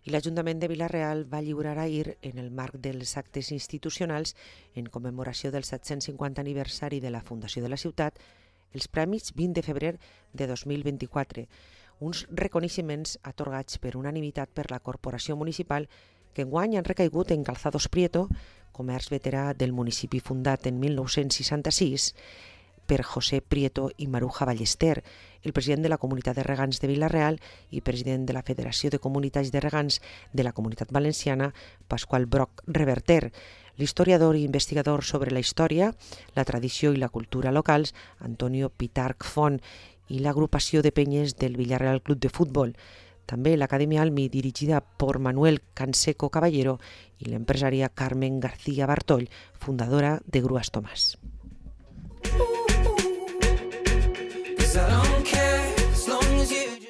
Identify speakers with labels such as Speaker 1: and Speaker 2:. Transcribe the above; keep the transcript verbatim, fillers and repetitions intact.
Speaker 1: i l'Ajuntament de Vila-real va lliurar ahir, en el marc dels actes institucionals en commemoració del set-cents cinquanta aniversari de la fundació de la ciutat, els Premis vint de febrer de dos mil vint-i-quatre, uns reconeixements atorgats per unanimitat per la Corporació Municipal que enguany han recaigut en Calzados Prieto, comerç veterà del municipi fundat en mil nou-cents seixanta-sis, per José Prieto i Maruja Ballester, el president de la Comunitat de Regants de Vila-real i president de la Federació de Comunitats de Regants de la Comunitat Valenciana, Pasqual Broc Reverter, l'historiador i investigador sobre la història, la tradició i la cultura locals, Antonio Pitarch Font, i l'agrupació de penyes del Villarreal Club de Futbol, també l'Acadèmia Almi, dirigida per Manuel Canseco Caballero, i l'empresària Carmen García Bartoll, fundadora de Grues Tomàs. I don't